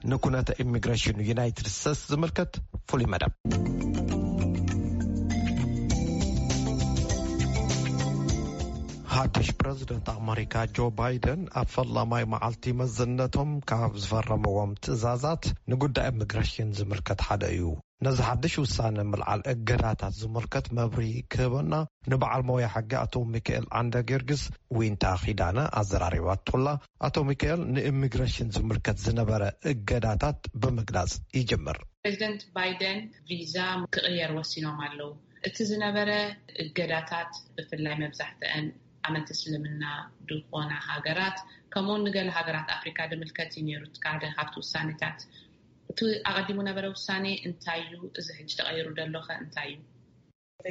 ንኩነተ ኢሚግሬሽን ዩናይትድ ስቴትስ ዝምልከት ፍሉይ መደብ። ሓድሽ ፕረዚደንት ኣመሪካ ጆ ባይደን ኣብ ፈላማይ መዓልቲ መዝነቶም ካብ ዝፈረምዎም ትእዛዛት ንጉዳይ ኢሚግሬሽን ዝምልከት ሓደ እዩ። ነዚ ሓድሽ ውሳነ ምልዓል እገዳታት ዝምልከት መብርሂ ክህበና ንበዓል ሞያ ሕጊ ኣቶ ሚካኤል ዓንደ ጊዮርጊስ ዊንታ ኪዳነ ኣዘራሪባቶላ። ኣቶ ሚካኤል፣ ንኢሚግሬሽን ዝምልከት ዝነበረ እገዳታት ብምግላጽ ይጅምር። ፕሬዚደንት ባይደን ቪዛ ክቕየር ወሲኖም ኣለዉ። እቲ ዝነበረ እገዳታት ብፍላይ መብዛሕትአን ኣመንቲ እስልምና ዝኾና ሃገራት ከምኡውን ንገለ ሃገራት ኣፍሪካ ድምልከት እዩ ነይሩ። እቲ ሓደ ካብቲ ውሳኔታት እቲ ኣቐዲሙ ነበረ ውሳኔ እንታይ እዩ? እዚ ሕጂ ተቐይሩ ደሎኸ እንታይ እዩ?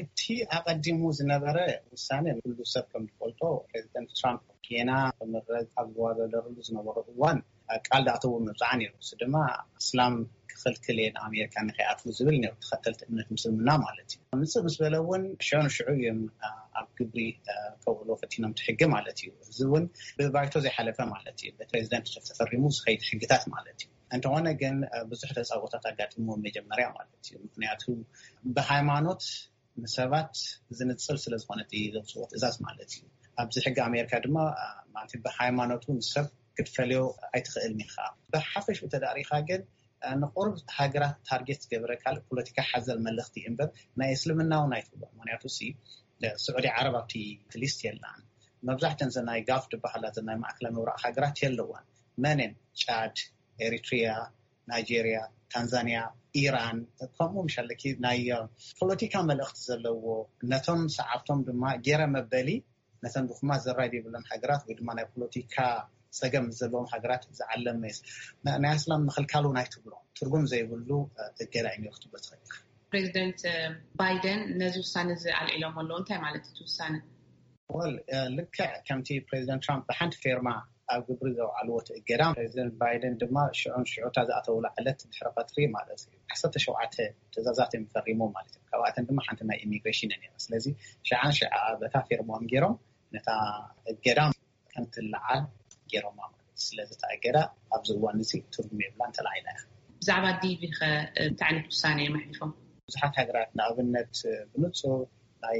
እቲ ኣቐዲሙ ዝነበረ ውሳኔ ንኩሉ ሰብ ከም ዝፈልጦ ፕሬዚደንት ትራምፕ ጌና ክምረጽ ኣብ ዝዋዳደርሉ ዝነበረ እዋን ቃል ዳእተዎ ምብጻዓ ነይሩ። እዚ ድማ እስላም ክኽልክል እየ ንኣሜሪካ ንከይኣትዉ ዝብል ነይሩ፣ ተኸተልቲ እምነት ምስልምና ማለት እዩ። ምጽእ ምስ በለ እውን ሽዑ ንሽዑ እዮም ኣብ ግብሪ ከውዕልዎ ፈቲኖም እቲ ሕጊ ማለት እዩ። እዚ እውን ብባይቶ ዘይሓለፈ ማለት እዩ፣ ብፕሬዚደንት ተፈሪሙ ዝኸይድ ሕግታት ማለት እዩ። እንተኾነ ግን ብዙሕ ተጻቦታት ኣጋጢምዎ መጀመርያ ማለት እዩ። ምክንያቱ ብሃይማኖት ንሰባት ዝንጽል ስለ ዝኾነ እቲ ዘውፅዎ ትእዛዝ ማለት እዩ። ኣብዚ ሕጊ ኣሜሪካ ድማ ማለት ብሃይማኖቱ ንሰብ ክትፈልዮ ኣይትኽእልን ኢኻ። ብሓፈሽ ተዳሪኻ ግን ንቁሩብ ሃገራት ታርጌት ዝገበረ ካልእ ፖለቲካ ሓዘል መልእኽቲ እምበር ናይ እስልምና እውን ኣይትብሎ። ምክንያቱ ሲ ስዑዲ ዓረብ ኣብቲ ሊስት የላን። መብዛሕተን ዘናይ ጋፍ ዝበሃላ ዘናይ ማእከላይ ምብራቕ ሃገራት የለዋን። መንን ጫድ፣ ኤሪትሪያ፣ ናይጄርያ፣ ታንዛንያ፣ ኢራን ከምኡ ምሻለኪ ናይ ፖለቲካ መልእኽቲ ዘለዎ ነቶም ሰዓብቶም ድማ ገይረ መበሊ ነተን ድኹማት ዘራይ ዘይብለን ሃገራት ወይ ድማ ናይ ፖለቲካ ጸገም ዘለዎም ሃገራት ዝዓለመ ናይ ኣስላም ምኽልካሉ ናይ ትብሎ ትርጉም ዘይብሉ እገዳ እዩ ክትብሎ ትኽእል። ፕሬዚደንት ባይደን ነዚ ውሳነ እዚ ኣልዒሎም ኣለዉ። እንታይ ማለት እቲ ውሳነ? ወል ልክዕ ከምቲ ፕሬዚደንት ትራምፕ ብሓንቲ ፌርማ ኣብ ግብሪ ዘውዓልዎ እቲ እገዳ ፕሬዚደንት ባይደን ድማ ሽዑን ሽዑታ ዝኣተውላ ዕለት ድሕሪ ቀትሪ ማለት እዩ ዓሰርተ ሸውዓተ ትእዛዛት እዮም ፈሪሞም ማለት እዩ። ካብኣተን ድማ ሓንቲ ናይ ኢሚግሬሽን እያ ነይራ። ስለዚ ሽዓን ሽዓ በታ ፌርሞም ገይሮም ነታ እገዳ ከም ትለዓል ገይሮማ ማለት እዩ። ስለዚ እታ እገዳ ኣብዚ እዋን እዚ ትርጉም የብላን፣ ተላዒላ እያ። ብዛዕባ ዲቪ ከ እንታይ ዓይነት ውሳነ እዮም ኣሕሊፎም? ብዙሓት ሃገራት ንኣብነት ብንፁር ናይ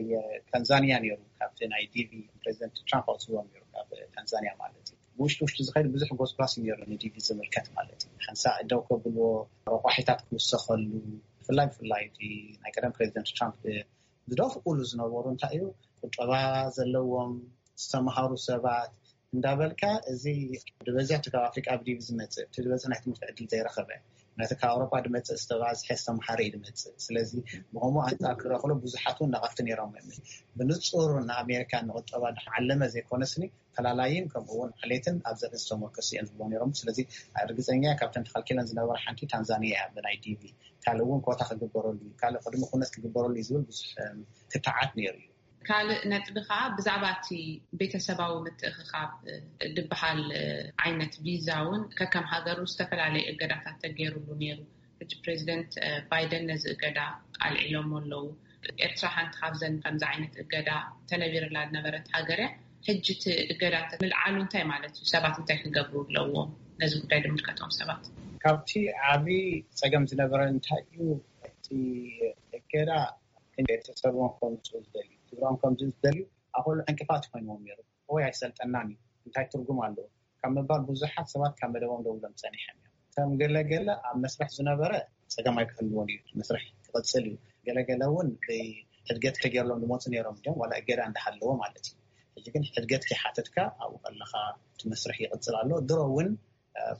ታንዛንያ ነይሩ። ካብቲ ናይ ዲቪ ፕሬዚደንት ትራምፕ ኣውፅዎም ነይሩ ካብ ታንዛንያ ማለት እዩ። ብውሽጢ ውሽጢ ዝኸይድ ብዙሕ ጎስጓስ ነይሩ ንዲቪ ዝምልከት ማለት እዩ። ሓንሳእ ደው ከብልዎ፣ ረቋሒታት ክውሰኸሉ፣ ብፍላይ ብፍላይ እቲ ናይ ቀደም ፕሬዚደንት ትራምፕ ዝደፍእሉ ዝነበሩ እንታይ እዩ ቁጠባ ዘለዎም ዝተምሃሩ ሰባት እንዳበልካ እዚ ዝበዝሕ ካብ ኣፍሪቃ ብዲቪ ዝመፅእ እቲ ዝበዝሕ ናይ ትምህርቲ ዕድል ዘይረኸበ ነቲ ካብ ኣውሮጳ ድመፅእ ዝተባዝሐ ዝተምሃረ እዩ ድመፅእ። ስለዚ ብከምኡ ኣንፃር ክረኽሎ ብዙሓት እውን ነቐፍቲ ነይሮም እዮም። ብንፁር ንኣሜሪካ ንቁጠባ ዓለመ ዘይኮነስኒ ፈላላይን ከምኡ እውን ዓሌትን ኣብ ዘርኢ ዝተመርኮሱ እየን ዝብሎ ነይሮም። ስለዚ ርግፀኛ እየ ካብተን ተኸልኪለን ዝነበራ ሓንቲ ታንዛኒያ እያ ብናይ ዲቪ። ካልእ እውን ኮታ ክግበረሉ እዩ፣ ካልእ ቅድሚ ኩነት ክግበረሉ እዩ ዝብል ብዙሕ ክትዓት ነይሩ እዩ። ካልእ ነጥቢ ከዓ ብዛዕባ እቲ ቤተሰባዊ ምትእኽኻብ ድበሃል ዓይነት ቪዛ እውን ከከም ሃገሩ ዝተፈላለዩ እገዳታት ተገይሩሉ ነይሩ። ሕጂ ፕሬዚደንት ባይደን ነዚ እገዳ ኣልዒሎሞ ኣለዉ። ኤርትራ ሓንቲ ካብዘን ከምዚ ዓይነት እገዳ ተነቢርላ ዝነበረት ሃገር እያ። ሕጂ እቲ እገዳ ምልዓሉ እንታይ ማለት እዩ? ሰባት እንታይ ክገብሩ ኣለዎም? ነዚ ጉዳይ ዝምልከቶም ሰባት ካብቲ ዓብዪ ፀገም ዝነበረ እንታይ እዩ? እቲ እገዳ ቤተሰቦም ከምፅኡ ዝደልዩ፣ ስድራኦም ከምፅኡ ዝደልዩ ኣኮሉ ዕንቅፋት ኮይንዎም ነይሩ። ወይ ኣይሰልጠናን እዩ እንታይ ትርጉም ኣለዎ ካብ ምባል ብዙሓት ሰባት ካብ መደቦም ደው ኢሎም ፀኒሖም እዮም። ከም ገለገለ ኣብ መስርሕ ዝነበረ ፀገም ኣይክህልዎን እዩ፣ መስርሕ ክቕፅል እዩ። ገለገለ እውን ብሕድገት ተገይርሎም ዝመፁ ነይሮም እዮም ዋላ እገዳ እንዳሃለዎ ማለት እዩ። ሕጂ ግን ሕድገት ከይሓተትካ ኣብኡ ከለኻ እቲ መስርሕ ይቕፅል ኣሎ። ድሮ እውን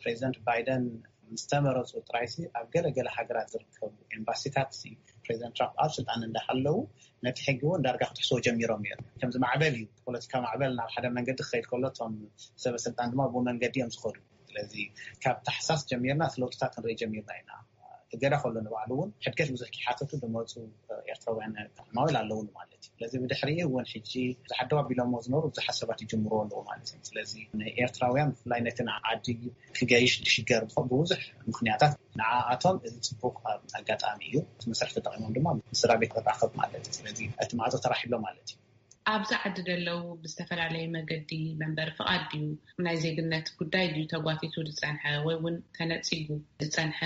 ፕሬዚደንት ባይደን ምስ ተመረፁ ጥራይሲ ኣብ ገለገለ ሃገራት ዝርከቡ ኤምባሲታት ፕሬዚደንት ትራምፕ ኣብ ስልጣን እንዳሃለዉ ነቲ ሕጊ እውን ዳርጋ ክትሕስዎ ጀሚሮም እዮም። ከምዚ ማዕበል እዩ፣ ፖለቲካ ማዕበል ናብ ሓደ መንገዲ ክኸይድ ከሎ እቶም ሰበ ስልጣን ድማ ብኡ መንገዲ እዮም ዝኸዱ። ስለዚ ካብ ታሕሳስ ጀሚርና እቲ ለውጥታት ክንርኢ ጀሚርና ኢና። እገዳ ከሎ ንባዕሉ እውን ሕድገት ብዙሕ ከይሓተቱ ዝመፁ ኤርትራውያን ዕማዊል ኣለውኒ ማለት እዩ። ስለዚ ብድሕሪኡ እውን ሕጂ ብዙሓት ደው ኣቢሎሞ ዝነበሩ ብዙሓት ሰባት ይጅምርዎ ኣለዉ ማለት እዩ። ስለዚ ንኤርትራውያን ብፍላይ ነቲ ንዓዲ ክገይሽ ዝሽገር ብብዙሕ ምኽንያታት ንዓኣቶም እዚ ፅቡቕ ኣጋጣሚ እዩ። እቲ መስርሕ ተጠቒሞም ድማ ምስ ስድራ ቤት ክራኸብ ማለት እዩ። ስለዚ እቲ ማዕፆ ተራሒሎ ማለት እዩ። ኣብዚ ዓዲ ደለው ብዝተፈላለየ መገዲ መንበሪ ፍቓድ ድዩ፣ ናይ ዜግነት ጉዳይ ድዩ ተጓቲቱ ዝጸንሐ ወይ እውን ተነጺጉ ዝጸንሐ?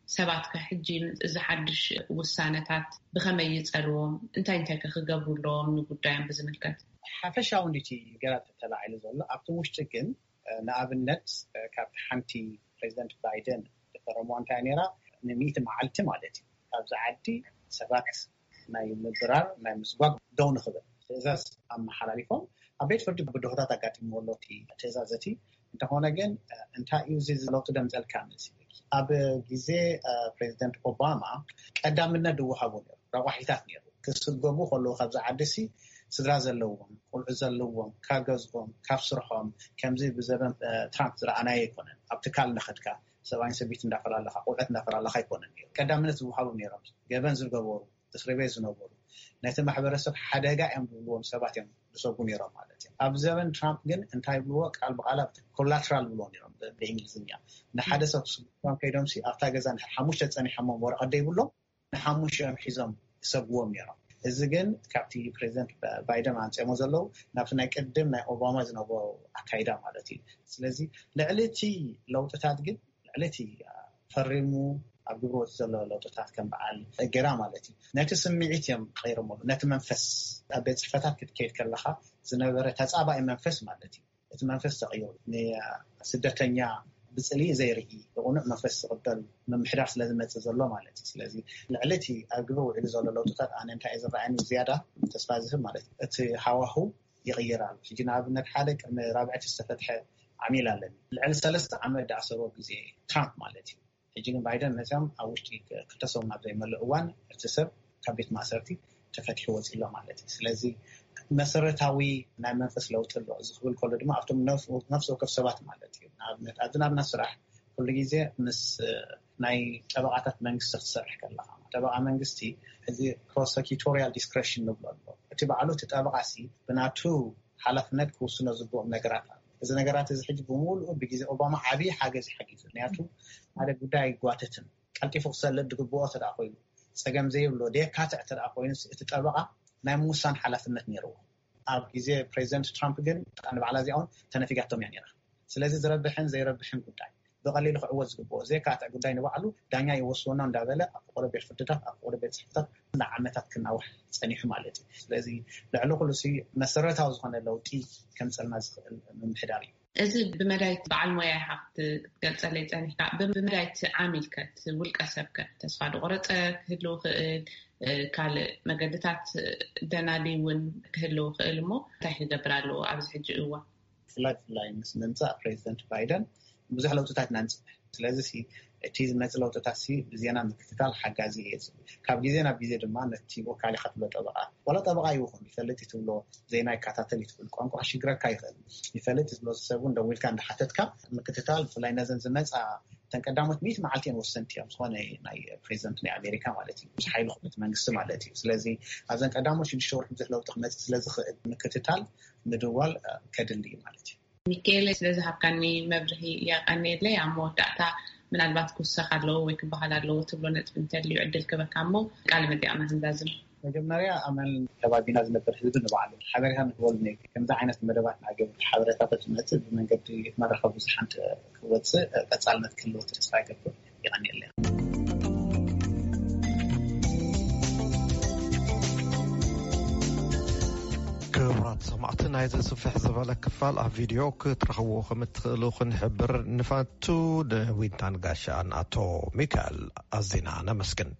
ሰባት ከ ሕጂ እዚ ሓድሽ ውሳነታት ብኸመይ ይጸልዎም? እንታይ እንታይ ከ ክገብሩ ኣለዎም ንጉዳዮም ብዝምልከት? ሓፈሻዊ እንዲቲ ገራት ተላዒሉ ዘሎ ኣብቲ ውሽጢ ግን፣ ንኣብነት፣ ካብቲ ሓንቲ ፕሬዚደንት ባይደን ዝፈረምዋ እንታይ ነይራ? ንሚእቲ መዓልቲ ማለት እዩ፣ ካብዚ ዓዲ ሰባት ናይ ምብራር ናይ ምስጓግ ደው ንኽብል ትእዛዝ ኣመሓላሊፎም። ኣብ ቤት ፍርዲ ብድሆታት ኣጋጢምዎ ኣሎ እቲ ትእዛዝ እቲ። እንተኾነ ግን እንታይ እዩ እዚ ለውጢ ደምፀልካ መሲልኪ? ኣብ ግዜ ፕሬዚደንት ኦባማ ቀዳምነት ዝወሃቦ ነይሩ፣ ረቋሒታት ነይሩ። ክስገቡ ከለዉ ካብዚ ዓዲ ሲ ስድራ ዘለዎም፣ ቆልዑ ዘለዎም፣ ካብ ገዝኦም፣ ካብ ስርሖም፣ ከምዚ ብዘበን ትራምፕ ዝረኣናዮ ኣይኮነን። ኣብ ትካል እንዳኸድካ ሰብኣይን ሰበይቲ እንዳፈላለኻ፣ ቆልዑት እንዳፈላለኻ ኣይኮነን ነይሩ። ቀዳምነት ዝወሃቦም ነይሮም፣ ገበን ዝገበሩ፣ እስሪ ቤት ዝነበሩ፣ ነቲ ማሕበረሰብ ሓደጋ እዮም ዝብልዎም ሰባት እዮም ዝሰጉ ነይሮም ማለት እዩ። ኣብ ዘበን ትራምፕ ግን እንታይ ይብልዎ? ቃል ብቓል ኣብ ኮላትራል ይብልዎ ነይሮም ብ- ብእንግሊዝኛ። ንሓደ ሰብ ክስጉም ከይዶም ሲ ኣብታ ገዛ እንድሕር ሓሙሽተ ፀኒሖሞም ወረቐት ዘይብሎም ንሓሙሽኦም ሒዞም ይሰጉዎም ነይሮም። እዚ ግን ካብቲ ፕሬዚደንት ባይደን ኣምፅኦሞ ዘለዉ ናብቲ ናይ ቅድም ናይ ኦባማ ዝነበሩ ኣካይዳ ማለት እዩ። ስለዚ ልዕሊ እቲ ለውጥታት ግን ልዕሊ እቲ ፈሪሙ ኣብ ግብሪ ወፂ ዘሎ ለውጥታት ከም በዓል እገዳ ማለት እዩ። ነቲ ስምዒት እዮም ቀይሮምሉ፣ ነቲ መንፈስ። ኣብ ቤት ፅሕፈታት ክትከይድ ከለካ ዝነበረ ተፃባኢ መንፈስ ማለት እዩ። እቲ መንፈስ ተቐይሩ፣ ንስደተኛ ብፅሊ ዘይርኢ ብቕኑዕ መንፈስ ዝቕበል ምምሕዳር ስለ ዝመፅእ ዘሎ ማለት እዩ። ስለዚ ልዕሊ እቲ ኣብ ግብሪ ውዒሉ ዘሎ ለውጥታት ኣነ እንታይ እዩ ዝረኣየኒ ዝያዳ ተስፋ ዝህብ ማለት እዩ፣ እቲ ሃዋሁ ይቕይር ኣሎ። ሕጂ ንኣብነት ሓደ ቅድሚ ራብዐቲ ዝተፈትሐ ዓሚል ኣለኒ። ልዕሊ ሰለስተ ዓመት ዝኣሰሮ ግዜ ትራምፕ ማለት እዩ። ሕጂ ግን ባይደን መፅኦም ኣብ ውሽጢ ክልተ ሰሙን ኣብ ዘይመልእ እዋን እቲ ሰብ ካብ ቤት ማእሰርቲ ተፈቲሑ ወፂ ኣሎ ማለት እዩ። ስለዚ መሰረታዊ ናይ መንፈስ ለውጢ ኣሎ። እዚ ክብል ከሎ ድማ ኣብቶም ነፍሲ ወከፍ ሰባት ማለት እዩ። ንኣብነት ኣብዚ ናብና ስራሕ ኩሉ ግዜ ምስ ናይ ጠበቓታት መንግስቲ ክትሰርሕ ከለካ፣ ጠበቓ መንግስቲ እዚ ፕሮሰኪቶሪያል ዲስክሬሽን ንብሎ ኣሎ። እቲ ባዕሉ እቲ ጠበቓ ሲ ብናቱ ሓላፍነት ክውስኖ ዝግብኦም ነገራት ኣሎ። እዚ ነገራት እዚ ሕጂ ብምሉኡ ብግዜ ኦባማ ዓብዪ ሓገዝ ሓጊዙ። ምክንያቱ ሓደ ጉዳይ ኣይጓተትን፣ ቀልጢፉ ክሰልጥ ዝግብኦ ተደኣ ኮይኑ፣ ፀገም ዘይብሎ ደየካትዕ ተደኣ ኮይኑ፣ እቲ ጠበቓ ናይ ምውሳን ሓላፍነት ነይርዎ። ኣብ ግዜ ፕሬዚደንት ትራምፕ ግን ንባዕላ እዚኣ እውን ተነፊጋቶም እያ ነይራ። ስለዚ ዝረብሕን ዘይረብሕን ጉዳይ ብቐሊሉ ክዕወት ዝግብኦ ዘየካትዕ ጉዳይ ንባዕሉ ዳኛ ይወስወና እንዳበለ ኣብ ፍቆዶ ቤት ፍርድታት ኣብ ፍቆዶ ቤት ፅሕፈታት ንዓመታት ክናዋሕ ፀኒሑ ማለት እዩ። ስለዚ ልዕሊ ኩሉ ሲ መሰረታዊ ዝኾነ ለውጢ ከምፀልና ዝኽእል ምምሕዳር እዩ። እዚ ብመዳይ በዓል ሞያ ኢኻ ክትገልፀለይ ፀኒሕካ። ብመዳይ እቲ ዓሚል ከ እቲ ውልቀ ሰብ ከ ተስፋ ዝቆረፀ ክህልው ክእል፣ ካልእ መገድታት ደናዲ እውን ክህልው ክእል እሞ እንታይ ክገብር ኣለዎ ኣብዚ ሕጂ እዋን? ብፍላይ ብፍላይ ምስ ምምፃእ ፕሬዚደንት ባይደን ብዙሕ ለውጥታት ኢና ንፅበ። ስለዚ ሲ እቲ ዝመፅ ለውጥታት ሲ ብዜና ምክትታል ሓጋዚ እየ ዝብል። ካብ ግዜ ናብ ግዜ ድማ ነቲ ወካሊካ ትብሎ ጠበቃ ዋላ ጠበቃ ይኹን ይፈልጥ ትብሎ ዜና ይከታተል እዩ ትብል ቋንቋ ክሽግረካ ይኽእል። ይፈልጥ ዝብሎ ሰብ እውን ደዊልካ እንዳሓተትካ ምክትታል ብፍላይ ነዘን ዝመፃ እተን ቀዳሞት ሚእቲ መዓልቲ እየን ወሰንቲ እዮም ዝኾነ ናይ ፕሬዚደንት ናይ ኣሜሪካ ማለት እዩ ምስ ሓይሉ ክብት መንግስቲ ማለት እዩ። ስለዚ ኣብዘን ቀዳሞት ሽዱሽተ ወርሒ ብዙሕ ለውጢ ክመፅእ ስለዝኽእል ምክትታል ምድዋል ከድሊ እዩ ማለት እዩ። ሚካኤለ ስለዝሃብካኒ መብርሂ የቀንየለይ። ኣብ መወዳእታ ምናልባት ክውሰኽ ኣለዎ ወይ ክበሃል ኣለዎ ትብሎ ነጥቢ እንተልዩ ዕድል ክበካ እሞ ቃለ መጠይቕና ክንዛዝም። መጀመርያ ኣመል ከባቢና ዝነብር ህዝቢ ንባዕሉ ሓበሬታ ንክበሉ ነይ ከምዚ ዓይነት መደባት ንኣገብ ሓበሬታታት ዝመፅእ ብመንገዲ መራኸቢ ብዙሓን ክወፅእ ቀፃልነት ክህልዎ ተስፋ ይገብር። የቐንየለይ። ክቡራት ሰማዕቲ ናይዚ ስፍሕ ዝበለ ክፋል ኣብ ቪድዮ ክትረኽብዎ ከም እትኽእሉ ክንሕብር ንፈቱ። ንዊንታን ጋሻን ኣቶ ሚካኤል ኣዚና ነመስግን።